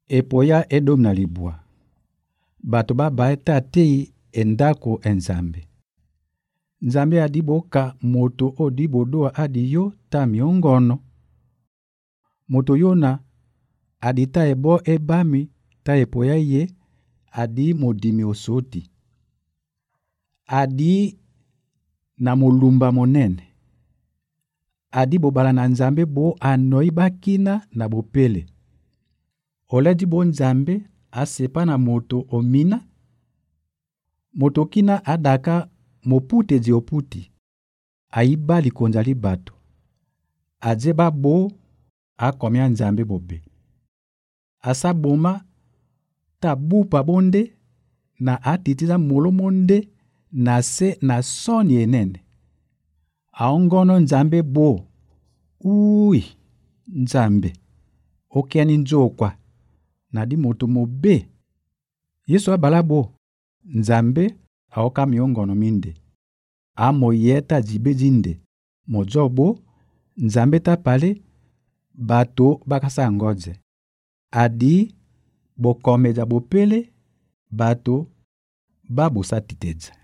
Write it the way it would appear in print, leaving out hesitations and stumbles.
epoya Edom na libwa. Bato babaye tatei endako enzambe. Nzambe adiboka moto odibodoa adiyo ta miongono. Moto yona adita ebo ebami ta epoya ye adi modimi osoti. Adi na molumba monene. Adi bobala na nzambe bo anoi bakina na bopele. Oledi bo nzambe asepa na moto omina. Moto kina adaka mopute di oputi. Aiba likonza li bato. Adzeba bo akomia nzambe bobe. Asa boma ta bupa bonde na atitiza molo monde na se na soni enene. Aongono nzambe bo. Ui, nzambe. Okiani nzokwa. Na di moto mobe. Yesu abala bo. Nzambe aoka miongono minde. Amo yeta jibe jinde. Mojobo, nzambe ta pale, bato bakasa ngoze. Adi, bokomeja bopele, bato babusa titedza.